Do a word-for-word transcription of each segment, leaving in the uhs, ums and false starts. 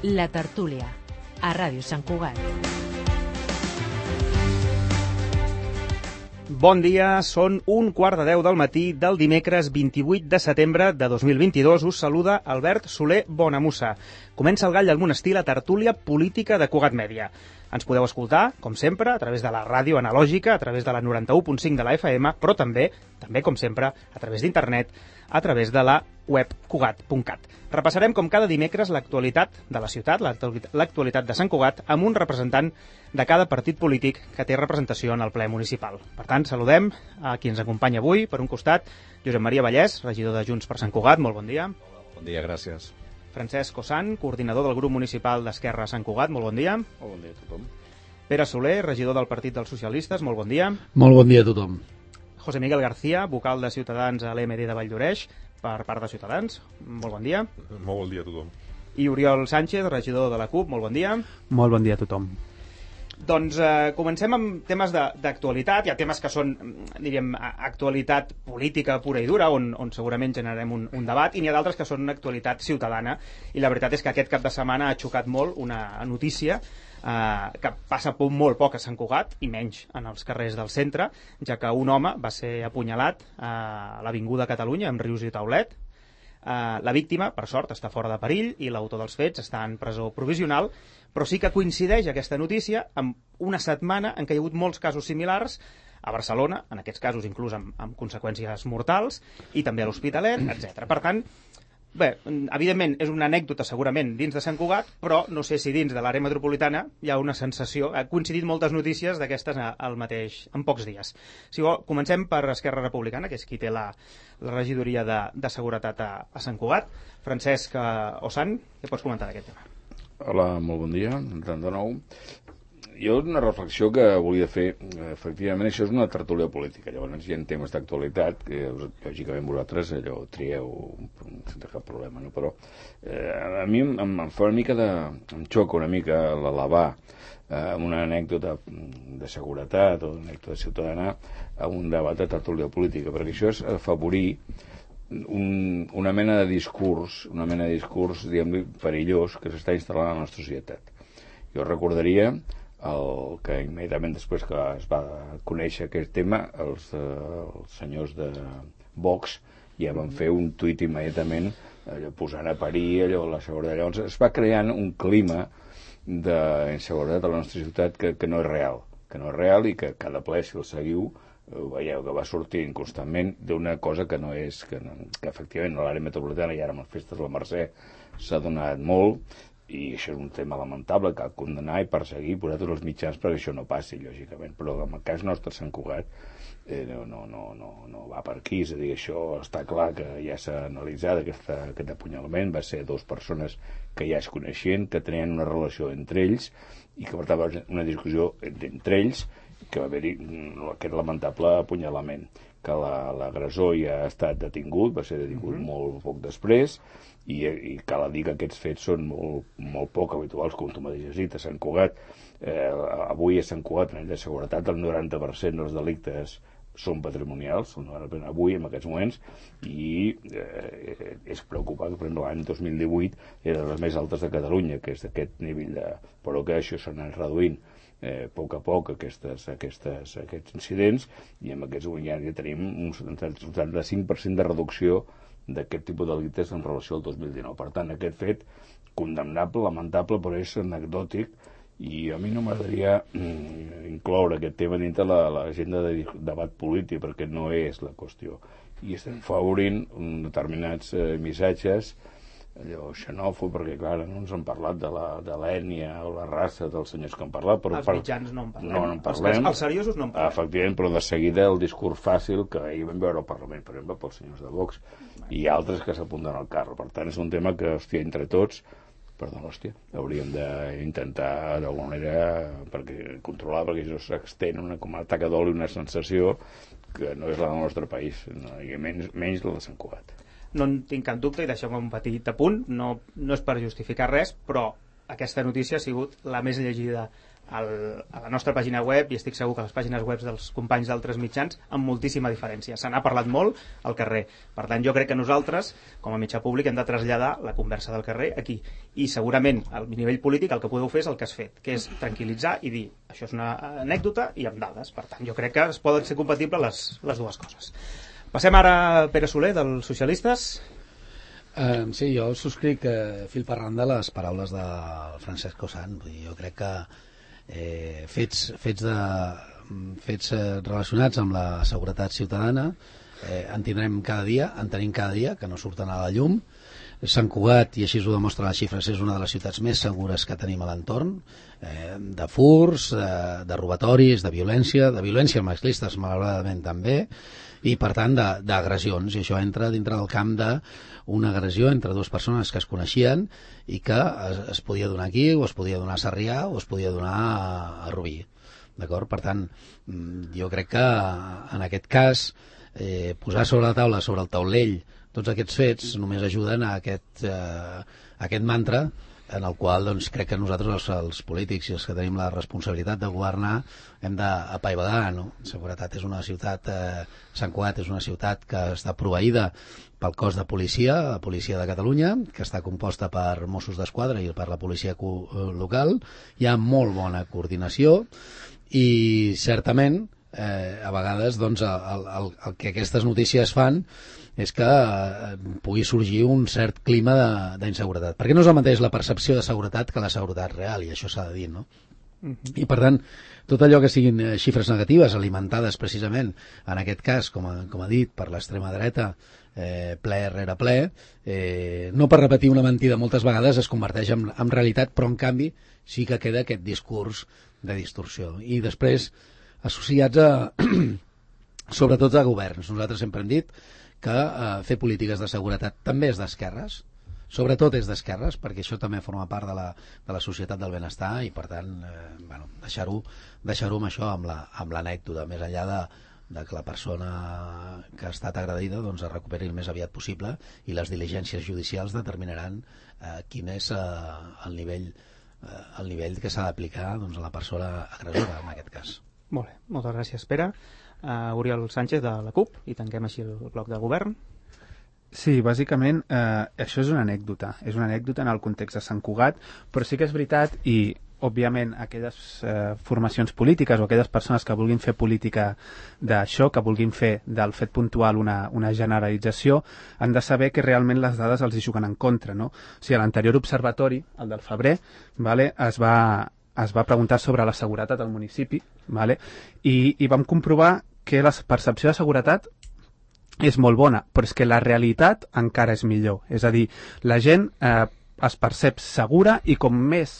La tertúlia, a Ràdio Sant Cugat. Bon dia, són un quart de deu del matí del dimecres vint-i-vuit de setembre de dos mil vint-i-dos. Us saluda Albert Soler Bonamussa. Comença el Gall del Monestir, la tertúlia política de Cugat Mèdia. Ens podeu escoltar, com sempre, a través de la ràdio analògica, a través de la noranta-u punt cinc de la F M, però també, també com sempre, a través d'internet, a través de la web cugat punt cat. Repassarem, com cada dimecres, l'actualitat de la ciutat, l'actualitat de Sant Cugat, amb un representant de cada partit polític que té representació en el ple municipal. Per tant, saludem a qui ens acompanya avui. Per un costat, Josep Maria Vallès, regidor de Junts per Sant Cugat. Molt bon dia. Bon dia, gràcies. Francesc Ossant, coordinador del grup municipal d'Esquerra a Sant Cugat. Molt bon dia. Molt bon dia a tothom. Pere Soler, regidor del Partit dels Socialistes. Molt bon dia. Molt bon dia a tothom. José Miguel García, vocal de Ciutadans a l'E M D de Valldoreix, per part de Ciutadans. Molt bon dia. Molt bon dia a tothom. I Oriol Sánchez, regidor de la CUP. Molt bon dia. Molt bon dia a tothom. Doncs eh, comencem amb temes d'actualitat. Hi ha temes que són, diríem, actualitat política pura i dura, on, on segurament generarem un, un debat, i n'hi ha d'altres que són actualitat ciutadana. I la veritat és que aquest cap de setmana ha xocat molt una notícia eh, que passa por molt poc a Sant Cugat, i menys en els carrers del centre, ja que un home va ser apunyalat a l'Avinguda Catalunya, amb Rius i Taulet. Uh, la víctima, per sort, està fora de perill i l'autor dels fets està en presó provisional, però sí que coincideix aquesta notícia amb una setmana en què hi ha hagut molts casos similars a Barcelona, en aquests casos inclús amb, amb conseqüències mortals, i també a l'Hospitalet, etcètera. Per tant, bé, evidentment és una anècdota segurament dins de Sant Cugat, però no sé si dins de l'àrea metropolitana hi ha una sensació. Ha coincidit moltes notícies d'aquestes al mateix, en pocs dies. Si vol, comencem per Esquerra Republicana, que és qui té la, la regidoria de, de seguretat a, a Sant Cugat. Francesc Ossant, què pots comentar d'aquest tema? Hola, molt bon dia, de nou. Jo una reflexió que volia fer, efectivament això és una tertúlia política, llavors hi ha temes d'actualitat que lògicament vosaltres allò trieu sense cap problema, no? Però eh, a mi em, em fa una mica de... em xoca una mica l'elevar eh, una anècdota de seguretat o una anècdota ciutadana a un debat de tertúlia política, perquè això és afavorir un, una mena de discurs, una mena de discurs, diguem-li, perillós que s'està instal·lant a la nostra societat. Jo recordaria el que immediatament després que es va conèixer aquest tema, els, eh, els senyors de Vox ja van fer un tuit immediatament allò, posant a parir allò, la seguretat. Llavors es va creant un clima d'inseguretat a la nostra ciutat que, que no és real, que no és real i que cada ple, si el seguiu, veieu que va sortint constantment d'una cosa que no és, que, no, que efectivament a l'àrea metropolitana i ara amb les festes de la Mercè s'ha donat molt, i això és un tema lamentable, cal condenar i perseguir, posar tots els mitjans perquè això no passi, lògicament, però en el cas nostre Sant Cugat eh, no, no, no, no, no va per aquí, és a dir, això està clar que ja s'ha analitzat, aquesta, aquest apunyalament va ser dues persones que ja es coneixien, que tenien una relació entre ells i que per tant va haver una discussió entre ells, que va haver-hi aquest lamentable apunyalament, que l'agressor ja ha estat detingut, va ser detingut mm-hmm. molt poc després, i, i cal dir que aquests fets són molt, molt poc habituals, com tu mateix has dit, a Sant Cugat. Eh, avui a Sant Cugat, en la seguretat, el noranta per cent dels delictes són patrimonials, avui, en aquests moments, i eh, és preocupant, per exemple, l'any dos mil divuit era de les més altes de Catalunya, que és d'aquest nivell, de... però que això s'ha anat reduint eh, a poc a poc aquestes, aquestes, aquests incidents, i en aquests moments ja, ja tenim un setanta-cinc per cent de reducció d'aquest tipus de delictes en relació al dos mil dinou. Per tant, aquest fet condemnable, lamentable, però és anecdòtic, i a mi no m'agradaria mm, incloure aquest tema dintre l'agenda de debat polític, perquè no és la qüestió. I estem favorint determinats eh, missatges allò xenòfob, perquè clar, no ens han parlat de l'ètnia o la raça dels senyors que han parlat, però els per... mitjans no en parlem, no, no en parlem. Els, els seriosos no en parlem. Efectivament, però de seguida el discurs fàcil que ahir vam veure al Parlament, per exemple, pels senyors de Vox i altres que s'apunten al carro. Per tant, és un tema que, hòstia, entre tots, perdó, hòstia, hauríem d'intentar d'alguna manera perquè, controlar, perquè això s'extén una, com a taca d'oli, una sensació que no és la del nostre país, no, i menys, menys la de Sant Cugat. No en tinc cap dubte, i deixeu-me un petit apunt, no, no és per justificar res, però aquesta notícia ha sigut la més llegida al, a la nostra pàgina web, i estic segur que a les pàgines web dels companys d'altres mitjans, amb moltíssima diferència. Se n'ha parlat molt al carrer. Per tant, jo crec que nosaltres, com a mitjà públic, hem de traslladar la conversa del carrer aquí. I segurament, al nivell polític, el que podeu fer és el que has fet, que és tranquil·litzar i dir això és una anècdota i amb dades. Per tant, jo crec que es poden ser compatibles les, les dues coses. Passem ara a Pere Soler, dels socialistes. Uh, sí, jo subscric uh, fil per randa les paraules de Francesco Sant. Vull dir, jo crec que eh, fets, fets, de, fets eh, relacionats amb la seguretat ciutadana eh, en tindrem cada dia, en tenim cada dia, que no surten a la llum. Sant Cugat, i així ho demostra les xifres, és una de les ciutats més segures que tenim a l'entorn, eh, de furs, de, de robatoris, de violència, de violència masclistes, malauradament també, i per tant d'agressions, i això entra dintre del camp d'una agressió entre dues persones que es coneixien i que es, es podia donar aquí, o es podia donar a Sarrià, o es podia donar a, a Rubí, d'acord? Per tant, jo crec que en aquest cas eh, posar sobre la taula, sobre el taulell, tots aquests fets només ajuden a aquest, eh, a aquest mantra en el qual doncs, crec que nosaltres, els, els polítics i els que tenim la responsabilitat de governar, hem d'apaivagar, no? Seguretat és una ciutat, eh, Sant Cugat és una ciutat que està proveïda pel cos de policia, la policia de Catalunya, que està composta per Mossos d'Esquadra i per la policia local. Hi ha molt bona coordinació i certament eh, a vegades doncs, el, el, el que aquestes notícies fan és que eh, pugui sorgir un cert clima d'inseguretat. Perquè no és el mateix la percepció de seguretat que la seguretat real, i això s'ha de dir, no? Uh-huh. I per tant, tot allò que siguin eh, xifres negatives, alimentades precisament, en aquest cas, com a, com a dit, per l'extrema dreta, eh, ple rere ple, eh, no per repetir una mentida moltes vegades es converteix en, en realitat, però en canvi sí que queda aquest discurs de distorsió. I després, associats a sobretot a governs. Nosaltres sempre hem dit que eh, fer polítiques de seguretat també és d'esquerres, sobretot és d'esquerres, perquè això també forma part de la, de la societat del benestar i, per tant, eh, bueno, deixar-ho deixar-ho amb això, amb l'anècdota, la, més enllà de, de que la persona que ha estat agredida doncs, es recuperi el més aviat possible i les diligències judicials determinaran eh, quin és eh, el nivell eh, el nivell que s'ha d'aplicar doncs, a la persona agressora, en aquest cas. Molt bé, moltes gràcies, Pere. Uh, Oriol Sánchez de la CUP, i tanquem així el bloc de govern. Sí, bàsicament eh, això és una anècdota, és una anècdota en el context de Sant Cugat, però sí que és veritat, i òbviament aquelles eh, formacions polítiques o aquelles persones que vulguin fer política d'això, que vulguin fer del fet puntual una, una generalització, han de saber que realment les dades els hi juguen en contra, no? O sigui, a l'anterior observatori, el del febrer, vale, es va es va preguntar sobre la seguretat al municipi, vale? I, i vam comprovar que la percepció de seguretat és molt bona, però és que la realitat encara és millor. És a dir, la gent eh, es percep segura i com més,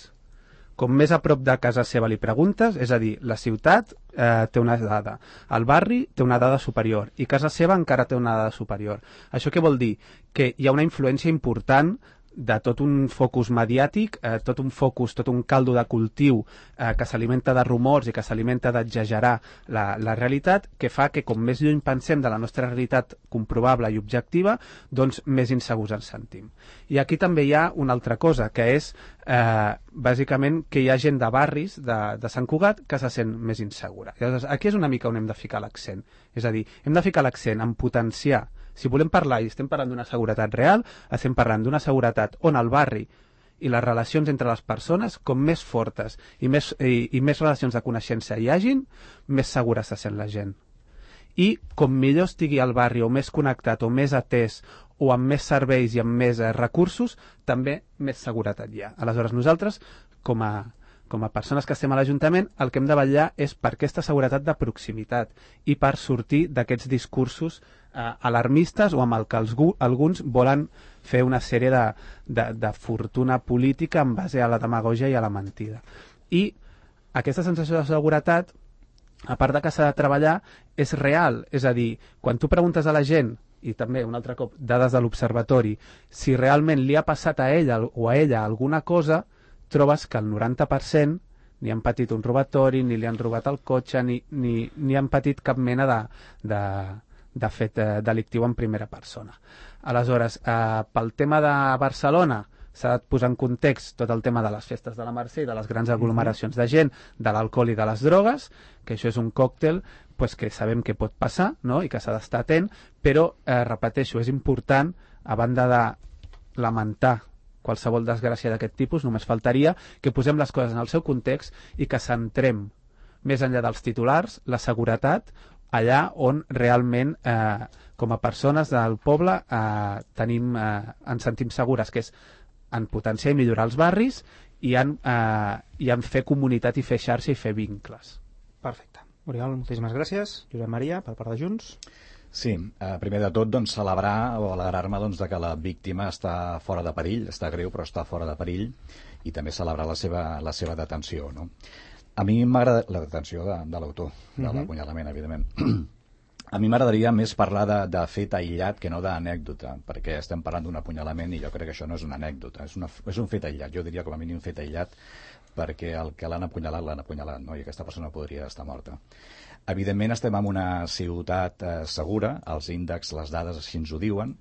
com més a prop de casa seva li preguntes, és a dir, la ciutat eh, té una dada, el barri té una dada superior i casa seva encara té una dada superior. Això què vol dir? Que hi ha una influència important de tot un focus mediàtic, eh, tot un focus, tot un caldo de cultiu eh, que s'alimenta de rumors i que s'alimenta d'exagerar la, la realitat, que fa que com més lluny pensem de la nostra realitat comprovable i objectiva, doncs més insegurs ens sentim. I aquí també hi ha una altra cosa, que és eh, bàsicament que hi ha gent de barris de, de Sant Cugat que se sent més insegura. I llavors, aquí és una mica on hem de ficar l'accent. És a dir, hem de ficar l'accent en potenciar. Si volem parlar i estem parlant d'una seguretat real, estem parlant d'una seguretat on el barri i les relacions entre les persones, com més fortes i més, i, i més relacions de coneixença hi hagin, més segura se sent la gent. I com millor estigui el barri o més connectat o més atès o amb més serveis i amb més eh, recursos, també més seguretat hi ha. Aleshores, nosaltres, com a com a persones que estem a l'Ajuntament, el que hem de vetllar és per aquesta seguretat de proximitat i per sortir d'aquests discursos eh, alarmistes o amb el que els, alguns volen fer una sèrie de, de, de fortuna política en base a la demagògia i a la mentida. I aquesta sensació de seguretat, a part de que s'ha de treballar, és real. És a dir, quan tu preguntes a la gent, i també, un altre cop, dades de l'observatori, si realment li ha passat a ella o a ella alguna cosa, trobes que el noranta per cent ni han patit un robatori, ni li han robat el cotxe, ni, ni, ni han patit cap mena de, de, de fet eh, delictiu en primera persona. Aleshores, eh, pel tema de Barcelona, s'ha de posar en context tot el tema de les festes de la Mercè i de les grans aglomeracions de gent, de l'alcohol i de les drogues, que això és un còctel pues, que sabem que pot passar, no?, i que s'ha d'estar atent, però, eh, repeteixo, és important, a banda de lamentar qualsevol desgràcia d'aquest tipus, només faltaria que posem les coses en el seu context i que centrem, més enllà dels titulars, la seguretat allà on realment, eh, com a persones del poble, eh, tenim, eh, ens sentim segures, que és en potenciar i millorar els barris i en, eh, i en fer comunitat i fer xarxa i fer vincles. Perfecte. Oriol, moltíssimes gràcies. Josep Maria, per part de Junts. Sí, eh, primer de tot doncs, celebrar o alegrar-me doncs, de que la víctima està fora de perill, està greu però està fora de perill, i també celebrar la seva, la seva detenció. No? A mi m'agrada la detenció de, de l'autor, de uh-huh. l'apunyalament, evidentment. A mi m'agradaria més parlar de, de fet aïllat que no d'anècdota, perquè estem parlant d'un apunyalament i jo crec que això no és una anècdota, és, una, és un fet aïllat, jo diria com a mínim un fet aïllat, perquè el que l'han apunyalat, l'han apunyalat, no? I aquesta persona podria estar morta. Evidentment estem en una ciutat eh, segura, els índexs, les dades així ens ho diuen,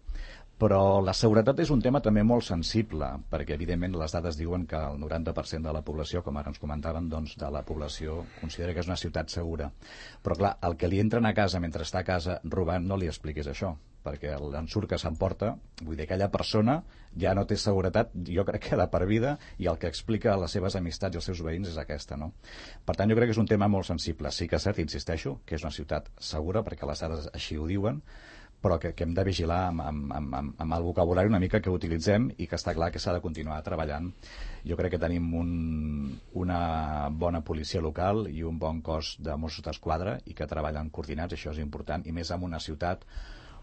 però la seguretat és un tema també molt sensible, perquè evidentment les dades diuen que el noranta per cent de la població, com ara ens comentaven, doncs, de la població considera que és una ciutat segura. Però clar, el que li entren a casa mentre està a casa robant no li expliquis això, perquè l'ensurt que s'emporta, vull dir, aquella persona ja no té seguretat, jo crec que de per vida, i el que explica a les seves amistats i als seus veïns és aquesta, no? Per tant, jo crec que és un tema molt sensible. Sí que és cert, insisteixo, que és una ciutat segura, perquè les dades així ho diuen, però que, que hem de vigilar amb, amb, amb, amb el vocabulari una mica que utilitzem i que està clar que s'ha de continuar treballant. Jo crec que tenim un, una bona policia local i un bon cos de Mossos d'Esquadra i que treballen coordinats, això és important, i més en una ciutat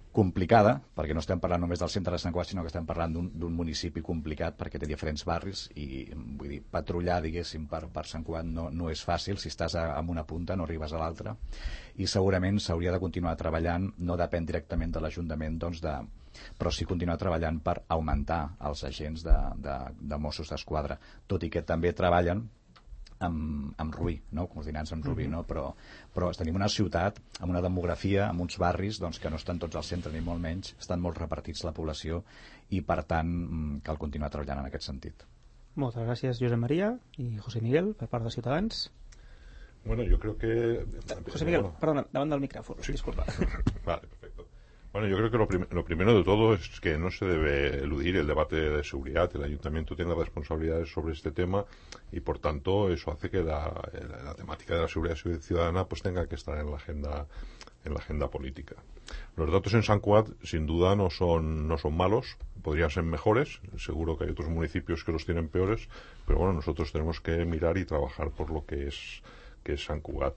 complicada, perquè no estem parlant només del centre de Sant Cugat, sinó que estem parlant d'un municipi complicat perquè té diferents barris i, vull dir, patrullar, diguéssim, per, per Sant Cugat no, no és fàcil. Si estàs a, a una punta no arribes a l'altra, i segurament s'hauria de continuar treballant, no depèn directament de l'Ajuntament, doncs de, però sí continuar treballant per augmentar els agents de, de, de Mossos d'Esquadra, tot i que també treballen amb, amb Rubí, no? Coordinats amb Rubí, no? Però, però tenim una ciutat amb una demografia, amb uns barris doncs, que no estan tots al centre ni molt menys, estan molt repartits la població i per tant cal continuar treballant en aquest sentit. Moltes gràcies, Josep Maria i José Miguel, per part de Ciutadans. Bueno, yo creo que... José Miguel, bueno. perdona, davant del micrófono, Sí. disculpa. Vale, perfecto. Bueno, yo creo que lo, prim lo primero de todo es que no se debe eludir el debate de seguridad. El ayuntamiento tiene responsabilidades sobre este tema y, por tanto, eso hace que la, la, la temática de la seguridad ciudadana pues tenga que estar en la agenda en la agenda política. Los datos en Sant Cugat, sin duda, no son no son malos, podrían ser mejores. Seguro que hay otros municipios que los tienen peores, pero bueno, nosotros tenemos que mirar y trabajar por lo que es que es Sant Cugat.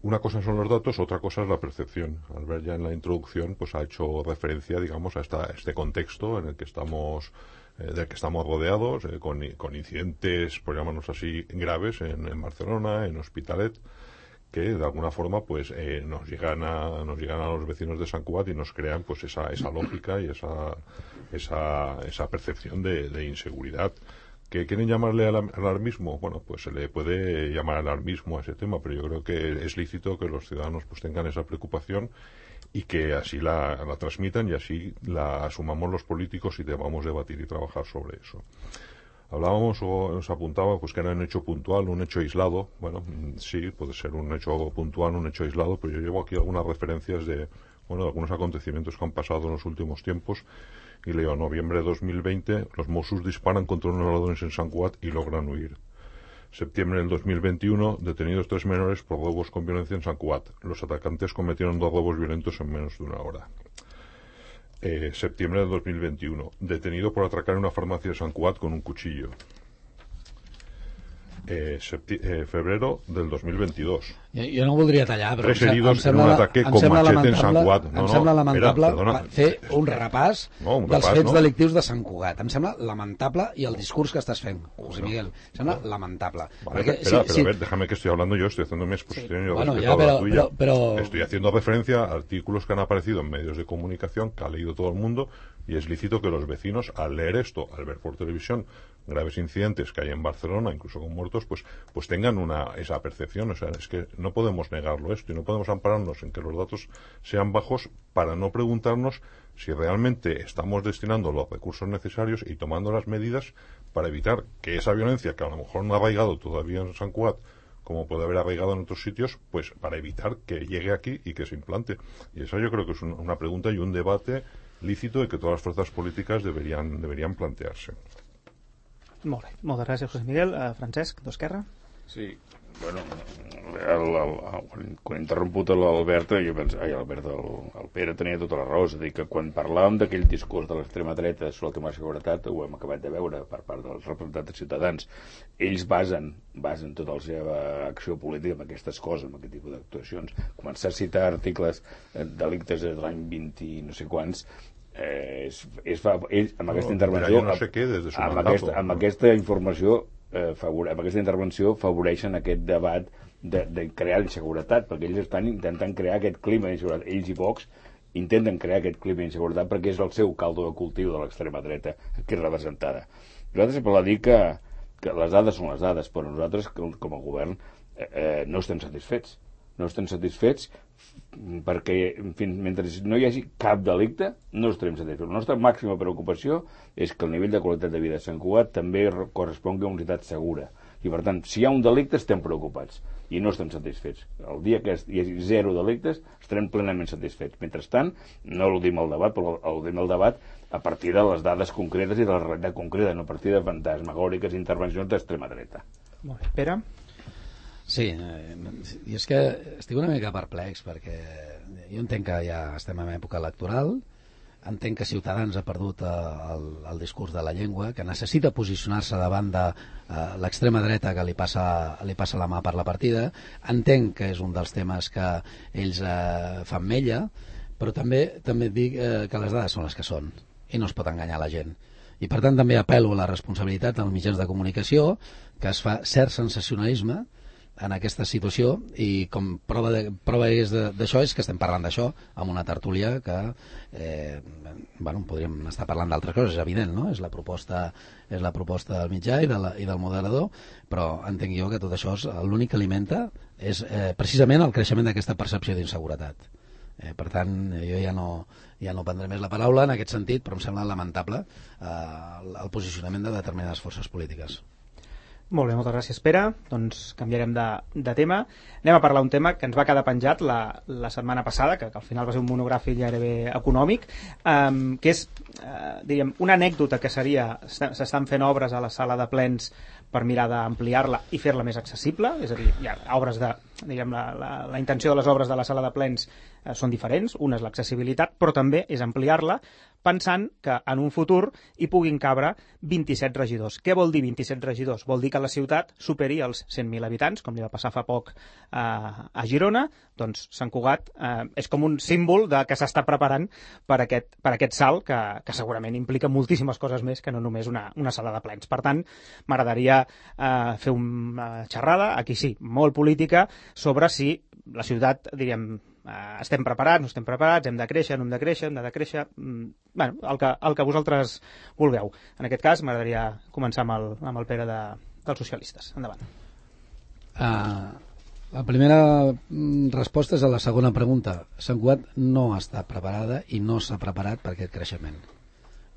Una cosa son los datos, otra cosa es la percepción. Albert ya en la introducción pues ha hecho referencia, digamos, a esta, este contexto en el que estamos, eh, del que estamos rodeados, eh, con, con incidentes, por llamarnos así, graves en, en Barcelona, en Hospitalet, que de alguna forma pues eh, nos llegan a nos llegan a los vecinos de Sant Cugat y nos crean pues esa esa lógica y esa esa esa percepción de, de inseguridad. ¿Que quieren llamarle alarmismo? Bueno, pues se le puede llamar alarmismo a ese tema, pero yo creo que es lícito que los ciudadanos pues tengan esa preocupación y que así la, la transmitan y así la asumamos los políticos y debamos debatir y trabajar sobre eso. Hablábamos o nos apuntaba pues que era un hecho puntual, un hecho aislado. Bueno, sí, puede ser un hecho puntual, un hecho aislado, pero yo llevo aquí algunas referencias de, bueno, de algunos acontecimientos que han pasado en los últimos tiempos. Y leo, en noviembre de dos mil veinte, los Mossos disparan contra unos ladrones en Sant Cugat y logran huir. Septiembre del dos mil veintiuno, detenidos tres menores por robos con violencia en Sant Cugat. Los atacantes cometieron dos robos violentos en menos de una hora. Eh, septiembre del dos mil veintiuno, detenido por atracar una farmacia de Sant Cugat con un cuchillo. Eh, eh, febrero del dos mil veintidós. Jo, jo no voldria tallar, però Tres em, heridos em sembla, en un ataque em con sembla machete en lamentable, Sant Cugat. No, em no, sembla lamentable espera, perdona. fer un repàs no, un dels repàs, fets no? delictius de Sant Cugat. Em sembla lamentable i el discurs que estàs fent, José Miguel, em sembla lamentable. Vale, Perquè, espera, sí, pero sí, a ver, déjame que estoy hablando yo, estoy haciendo mi exposición y yo Bueno, respeto ya, pero- la tuya. pero- pero- Estoy haciendo referencia a artículos que han aparecido en medios de comunicación, que ha leído todo el mundo, y es lícito que los vecinos, al leer esto, al ver por televisión graves incidentes que hay en Barcelona, incluso con muertos, candidatos pues, pues tengan una, esa percepción. O sea, es que no podemos negarlo esto y no podemos ampararnos en que los datos sean bajos para no preguntarnos si realmente estamos destinando los recursos necesarios y tomando las medidas para evitar que esa violencia, que a lo mejor no ha arraigado todavía en Sant Cugat, como puede haber arraigado en otros sitios, pues para evitar que llegue aquí y que se implante. Y esa yo creo que es un, una pregunta y un debate lícito y que todas las fuerzas políticas deberían, deberían plantearse. Molt bé, moltes gràcies, José Miguel. Uh, Francesc, d'Esquerra. Sí, bueno, el, el, el, quan he interromput l'Albert, jo penso, ai, l'Albert, el, el Pere tenia tota la raó, és a dir, que quan parlàvem d'aquell discurs de l'extrema dreta sobre el tema de seguretat, ho hem acabat de veure per part dels representants ciutadans, ells basen, basen tota la seva acció política en aquestes coses, en aquest tipus d'actuacions. Començar a citar articles, eh, delictes de l'any vint i no sé quants, eh, es, es fa, ells, amb aquesta intervenció, no sé què, des de su amb, mandato, aquesta, amb no? aquesta informació, Eh, favore, amb aquesta intervenció favoreixen aquest debat de, de crear inseguretat, perquè ells estan intentant crear aquest clima d'inseguretat. Ells i Vox intenten crear aquest clima d'inseguretat perquè és el seu caldo de cultiu de l'extrema dreta que és representada. Nosaltres sempre dir que, que les dades són les dades, però nosaltres com a govern eh, eh, no estem satisfets. No estem satisfets perquè fins, mentre no hi hagi cap delicte no estarem satisfets. La nostra màxima preocupació és que el nivell de qualitat de vida de Sant Cugat també correspongui a una ciutat segura, i per tant, si hi ha un delicte estem preocupats i no estem satisfets. El dia que hi hagi zero delictes estarem plenament satisfets. Mentrestant, no al·ludim al debat, però al·ludim al debat a partir de les dades concretes i de la realitat concreta, no a partir de fantasmagòriques intervencions d'extrema dreta. Molt bé. Pere? Sí, eh, i és que estic una mica perplex perquè jo entenc que ja estem en època electoral, entenc que Ciutadans ha perdut el, el discurs de la llengua, que necessita posicionar-se davant de eh, l'extrema dreta que li passa, li passa la mà per la partida, entenc que és un dels temes que ells eh, fan mella, però també també dic eh, que les dades són les que són i no es pot enganyar la gent. I per tant també apel·lo a la responsabilitat dels mitjans de comunicació, que es fa cert sensacionalisme en aquesta situació, i com prova de, prova és d'això és que estem parlant d'això amb una tertúlia que eh, bueno, podríem estar parlant d'altres coses, és evident, no? És la proposta, és la proposta del mitjà i, de la, i del moderador, però entenc jo que tot això l'únic que alimenta és eh, precisament el creixement d'aquesta percepció d'inseguretat. Eh, per tant, jo ja no, ja no prendré més la paraula en aquest sentit, però em sembla lamentable eh, el posicionament de determinades forces polítiques. Molt bé, moltes gràcies, Pere. Doncs canviarem de, de tema. Anem a parlar un tema que ens va quedar penjat la, la setmana passada, que, que al final va ser un monogràfic gairebé econòmic, um, que és, uh, diríem, una anècdota que seria, s'estan fent obres a la sala de plens per mirar d'ampliar-la i fer-la més accessible, és a dir, hi ha obres de, diguem, la, la, la intenció de les obres de la sala de plens eh, són diferents, una és l'accessibilitat, però també és ampliar-la, pensant que en un futur hi puguin cabre vint-i-set regidors. Què vol dir vint-i-set regidors? Vol dir que la ciutat superi els cent mil habitants, com li va passar fa poc eh, a Girona. Doncs Sant Cugat eh, és com un símbol de que s'està preparant per aquest, per aquest salt, que, que segurament implica moltíssimes coses més que no només una, una sala de plens. Per tant, m'agradaria eh, fer una xerrada, aquí sí, molt política, sobre si la ciutat, diríem, Uh, estem preparats, no estem preparats, hem de créixer, no hem de créixer, hem de decréixer, mm, bueno, el que, el que vosaltres vulgueu. En aquest cas m'agradaria començar amb el, amb el Pere de, dels socialistes. Endavant. Uh, la primera resposta és a la segona pregunta. Sant Cugat no està preparada i no s'ha preparat per aquest creixement.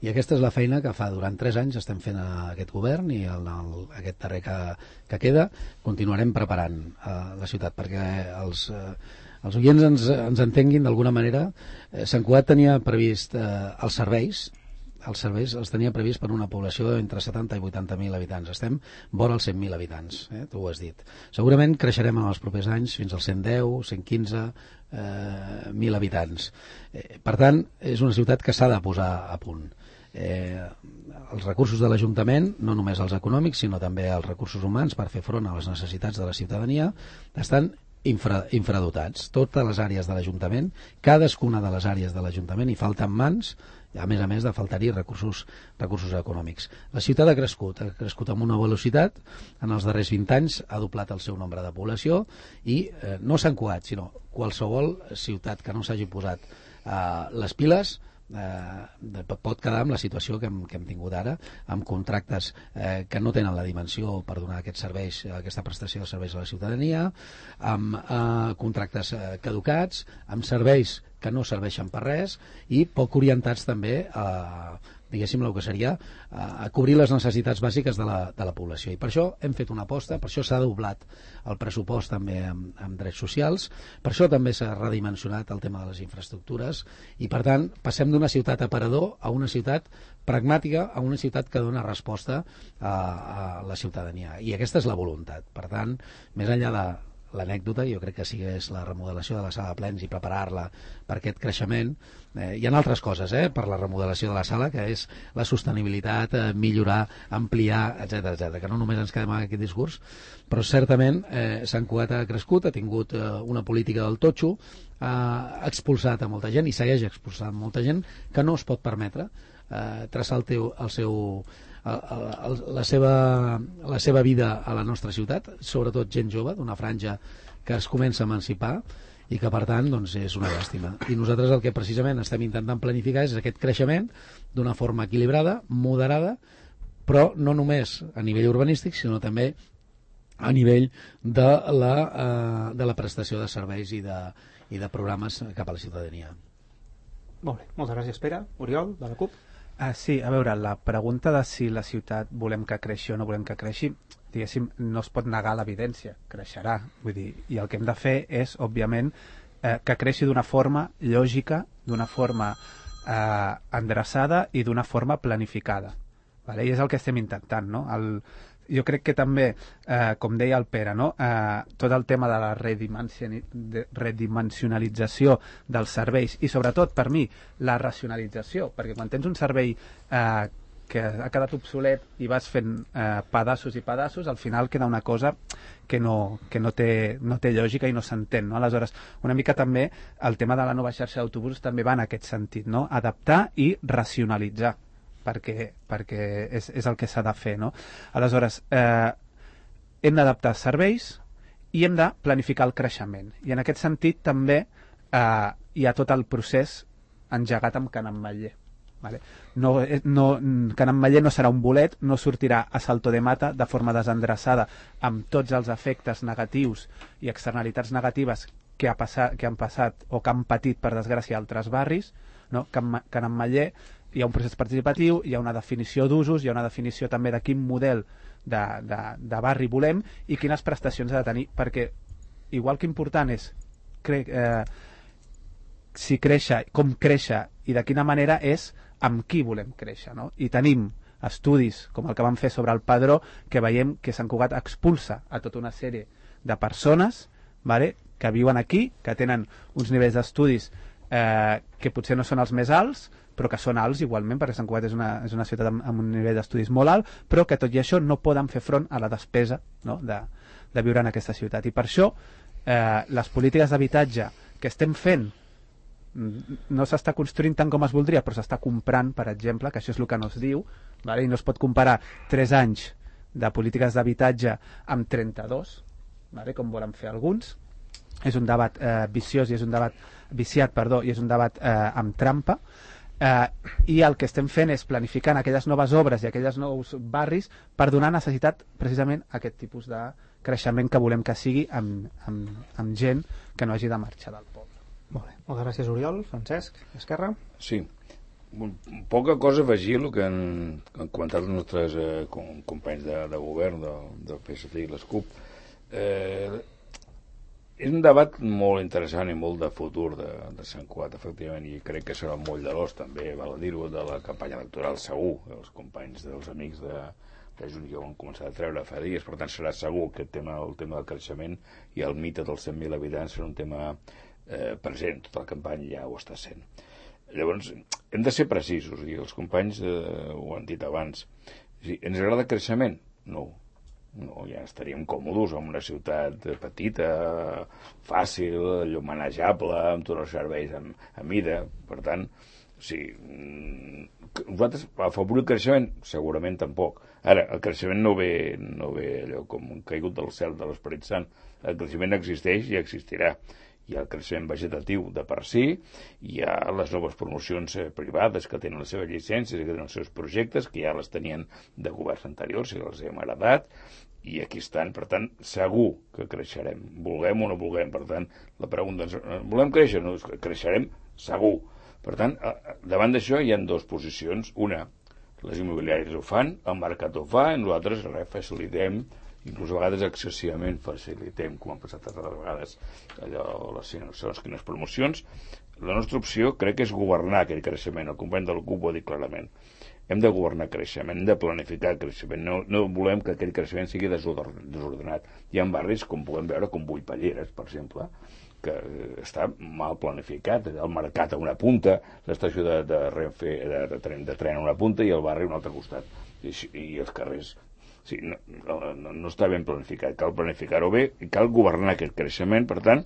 I aquesta és la feina que fa durant tres anys estem fent a aquest govern, i el, el, aquest darrer que, que queda continuarem preparant uh, la ciutat perquè els... Uh, els oients ens, ens entenguin d'alguna manera. eh, Sant Cugat tenia previst eh, els serveis els serveis els tenia previst per una població entre setanta i vuitanta mil habitants. Estem vora els cent mil habitants, eh? Tu ho has dit. Segurament creixerem en els propers anys fins als cent deu, cent quinze eh, mil habitants. Eh, per tant, és una ciutat que s'ha de posar a punt. Eh, els recursos de l'Ajuntament, no només els econòmics, sinó també els recursos humans per fer front a les necessitats de la ciutadania, estan Infra, infradotats. Totes les àrees de l'Ajuntament, cadascuna de les àrees de l'Ajuntament hi falten mans, a més a més de faltar-hi recursos, recursos econòmics. La ciutat ha crescut, ha crescut amb una velocitat, en els darrers vint anys ha doblat el seu nombre de població, i eh, no Sant Cugat, sinó qualsevol ciutat que no s'hagi posat eh, les piles eh, pot quedar amb la situació que hem, que hem tingut ara, amb contractes eh, que no tenen la dimensió per donar aquests serveis, aquesta prestació de serveis a la ciutadania, amb eh, contractes eh, caducats, amb serveis que no serveixen per res i poc orientats també a diguéssim, el que seria a cobrir les necessitats bàsiques de la, de la població. I per això hem fet una aposta, per això s'ha doblat el pressupost també amb, amb drets socials, per això també s'ha redimensionat el tema de les infraestructures i, per tant, passem d'una ciutat aparador a una ciutat pragmàtica, a una ciutat que dona resposta a, a la ciutadania. I aquesta és la voluntat. Per tant, més enllà de l'anècdota, jo crec que sí que és la remodelació de la sala de plens i preparar-la per aquest creixement. Eh, hi ha altres coses eh, per la remodelació de la sala, que és la sostenibilitat, eh, millorar, ampliar, etcètera, etcètera, que no només ens quedem en aquest discurs, però certament eh, Sant Cugat ha crescut, ha tingut eh, una política del totxo, ha expulsat a molta gent i segueix expulsant molta gent que no es pot permetre eh, traçar el, teu, el seu... El, el, la, seva, la seva vida a la nostra ciutat, sobretot gent jove d'una franja que es comença a emancipar i que per tant doncs, és una llàstima. I nosaltres el que precisament estem intentant planificar és aquest creixement d'una forma equilibrada, moderada, però no només a nivell urbanístic sinó també a nivell de la, eh, de la prestació de serveis i de, i de programes cap a la ciutadania. Molt bé, moltes gràcies Pere. Oriol, de la CUP. Ah, sí, a veure, la pregunta de si la ciutat volem que creixi o no volem que creixi, diguéssim, no es pot negar l'evidència, creixerà, vull dir, i el que hem de fer és, òbviament, eh, que creixi d'una forma lògica, d'una forma eh, endreçada i d'una forma planificada, vale? I és el que estem intentant, no? El, jo crec que també, eh, com deia el Pere, no? eh, tot el tema de la redimensionalització dels serveis i sobretot per mi la racionalització, perquè quan tens un servei eh, que ha quedat obsolet i vas fent eh, pedaços i pedaços, al final queda una cosa que no, que no, té, no té lògica i no s'entén, no? Aleshores, una mica també el tema de la nova xarxa d'autobusos també va en aquest sentit, no? Adaptar i racionalitzar, perquè, perquè és, és el que s'ha de fer, no? Aleshores, eh, hem d'adaptar serveis i hem de planificar el creixement. I en aquest sentit també eh, hi ha tot el procés engegat amb Can Ametller. Vale? No, no, Can Ametller no serà un bolet, no sortirà a salto de mata de forma desendreçada amb tots els efectes negatius i externalitats negatives que, ha passat, que han passat o que han patit, per desgràcia, altres barris, no? Can, Can Ametller hi ha un procés participatiu, hi ha una definició d'usos, hi ha una definició també de quin model de, de, de barri volem i quines prestacions ha de tenir, perquè igual que important és cre eh, si créixer, com créixer i de quina manera és amb qui volem créixer, no? I tenim estudis com el que vam fer sobre el Padró que veiem que Sant Cugat expulsa a tota una sèrie de persones, vale, que viuen aquí, que tenen uns nivells d'estudis eh, que potser no són els més alts, però que són alts igualment, perquè Sant Cugat és una, és una ciutat amb, amb un nivell d'estudis molt alt, però que tot i això no poden fer front a la despesa, no? de, de viure en aquesta ciutat. I per això eh, les polítiques d'habitatge que estem fent no s'està construint tant com es voldria, però s'està comprant, per exemple, que això és el que no es diu, vale? I no es pot comparar tres anys de polítiques d'habitatge amb trenta-dos, vale? Com volen fer alguns. És un debat eh, viciós i és un debat viciat, perdó, i és un debat eh, amb trampa. Eh, i el que estem fent és planificant aquelles noves obres i aquells nous barris per donar necessitat precisament a aquest tipus de creixement que volem que sigui amb, amb, amb gent que no hagi de marxar del poble. Molt bé, moltes gràcies Oriol. Francesc, Esquerra? Sí, poca cosa a afegir el que han, han comentat els nostres eh, companys de, de govern del, del P S C i les CUP. Eh, és un debat molt interessant i molt de futur de, de Sant Cugat, efectivament, i crec que serà molt de l'os també, val a dir-ho, de la campanya electoral segur, els companys dels amics de, de Junts ja ho han començat a treure fa dies, per tant serà segur que el tema, el tema del creixement i el mite dels cent mil habitants serà un tema eh, present, tota la campanya ja ho està sent. Llavors, hem de ser precisos, i els companys eh, ho han dit abans. Si ens agrada el creixement? No. No, ja estaríem còmodes en una ciutat petita, fàcil, allò manejable, amb tots els serveis a, a mida. Per tant, sí, nosaltres afavorir el creixement segurament tampoc. Ara, el creixement no ve, no ve allò com un caigut del cel de l'Esperit Sant. El creixement existeix i existirà. Hi ha el creixement vegetatiu de per si, hi ha les noves promocions eh, privades que tenen les seves llicències i que tenen els seus projectes, que ja les tenien de governs anteriors i els hem heredat, i aquí estan. Per tant, segur que creixerem, vulguem o no vulguem. Per tant, la pregunta és, volem créixer? No, creixerem segur. Per tant, davant d'això hi ha dues posicions. Una, les immobiliàries ho fan, el mercat ho fa, i nosaltres res, facilitem, inclús a vegades excessivament facilitem, com han passat altres vegades, allò, les segons quines promocions. La nostra opció crec que és governar aquest creixement. El company del C U P ho ha dit clarament. Hem de governar creixement, hem de planificar creixement. No, no volem que aquest creixement sigui desordenat. Hi ha barris, com podem veure, com Buipalleres, per exemple, que està mal planificat. El mercat a una punta, l'estació de, de Renfe, de, de, tren, de tren a una punta i el barri a un altre costat. I, i els carrers... Sí, no, no, no està ben planificat. Cal planificar-ho bé i cal governar aquest creixement, per tant,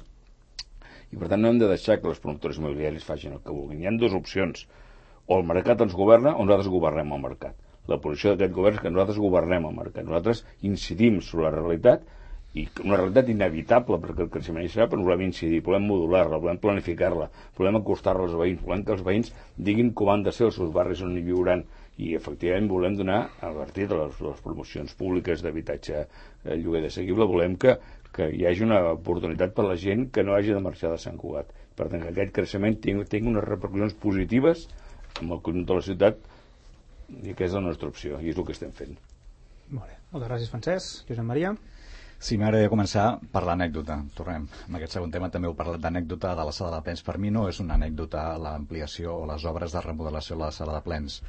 i per tant no hem de deixar que les promotores immobiliàries facin el que vulguin. Hi ha dues opcions. O el mercat ens governa o nosaltres governem el mercat. La posició d'aquest govern és que nosaltres governem el mercat. Nosaltres incidim sobre la realitat, i una realitat inevitable perquè el creixement hi serà, però volem incidir, volem modular-la, volem planificar-la, volem acostar-la als veïns, volem que els veïns diguin com han de ser els seus barris on hi viuran, i efectivament volem donar, a partir de les, les promocions públiques d'habitatge eh, lloguer d'assequible, volem que, que hi hagi una oportunitat per a la gent que no hagi de marxar de Sant Cugat. Per tant, que aquest creixement tingui, tingui unes repercussions positives amb el conjunt de la ciutat, i que és la nostra opció, i és el que estem fent. Molt bé. Moltes gràcies, Francesc. Josep Maria? Sí, m'agradaria començar per l'anècdota. Tornem. En aquest segon tema també heu parlat d'anècdota de la sala de plens. Per mi no és una anècdota l'ampliació o les obres de remodelació de la sala de plens.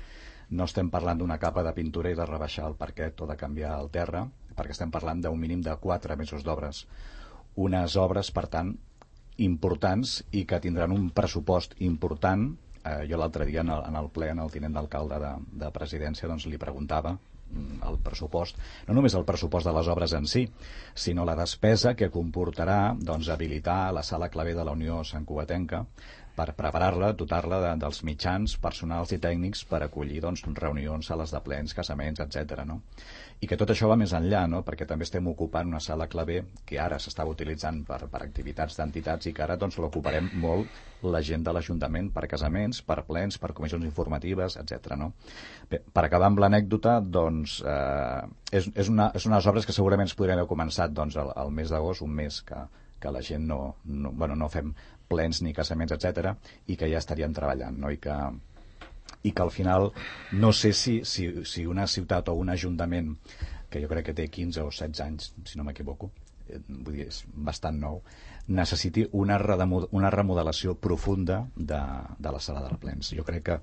No estem parlant d'una capa de pintura i de rebaixar el parquet o de canviar el terra, perquè estem parlant d'un mínim de quatre mesos d'obres. Unes obres, per tant, importants i que tindran un pressupost important. Eh, jo l'altre dia en el, en el ple, en el tinent d'alcalde de, de presidència, doncs li preguntava el pressupost, no només el pressupost de les obres en si, sinó la despesa que comportarà doncs, habilitar la sala clavé de la Unió Santcugatenca per preparar-la, dotar-la de, dels mitjans personals i tècnics per acollir doncs, reunions, sales de plens, casaments, etcètera. No? I que tot això va més enllà, no? Perquè també estem ocupant una sala clavé que ara s'estava utilitzant per, per activitats d'entitats i que ara doncs, l'ocuparem molt la gent de l'Ajuntament per casaments, per plens, per comissions informatives, etcètera. No? Bé, per acabar amb l'anècdota, doncs, eh, és, és, una, és unes obres que segurament es podrien haver començat doncs, al, al mes d'agost, un mes que, que la gent no, no, bueno, no fem plens ni casaments, etcètera, i que ja estaríem treballant, no? I que, i que al final no sé si, si, si una ciutat o un ajuntament que jo crec que té quinze o setze anys, si no m'equivoco, eh, vull dir, és bastant nou, necessiti una, una remodelació profunda de, de la sala de plens. Jo crec que,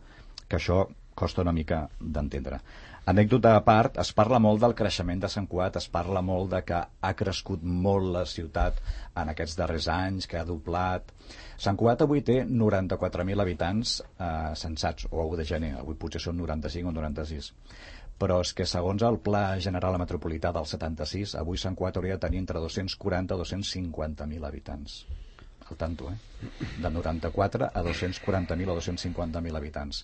que això costa una mica d'entendre. Anècdota a part, es parla molt del creixement de Sant Cugat, es parla molt de que ha crescut molt la ciutat en aquests darrers anys, que ha doblat. Sant Cugat avui té noranta-quatre mil habitants eh, censats, o a u de gener, avui potser són noranta-cinc o noranta-sis. Però és que segons el Pla General Metropolità del setanta-sis, avui Sant Cugat hauria de tenir entre dos-cents quaranta i dos-cents cinquanta mil habitants. Al tanto, eh? De noranta-quatre a dos-cents quaranta mil o dos-cents cinquanta mil habitants.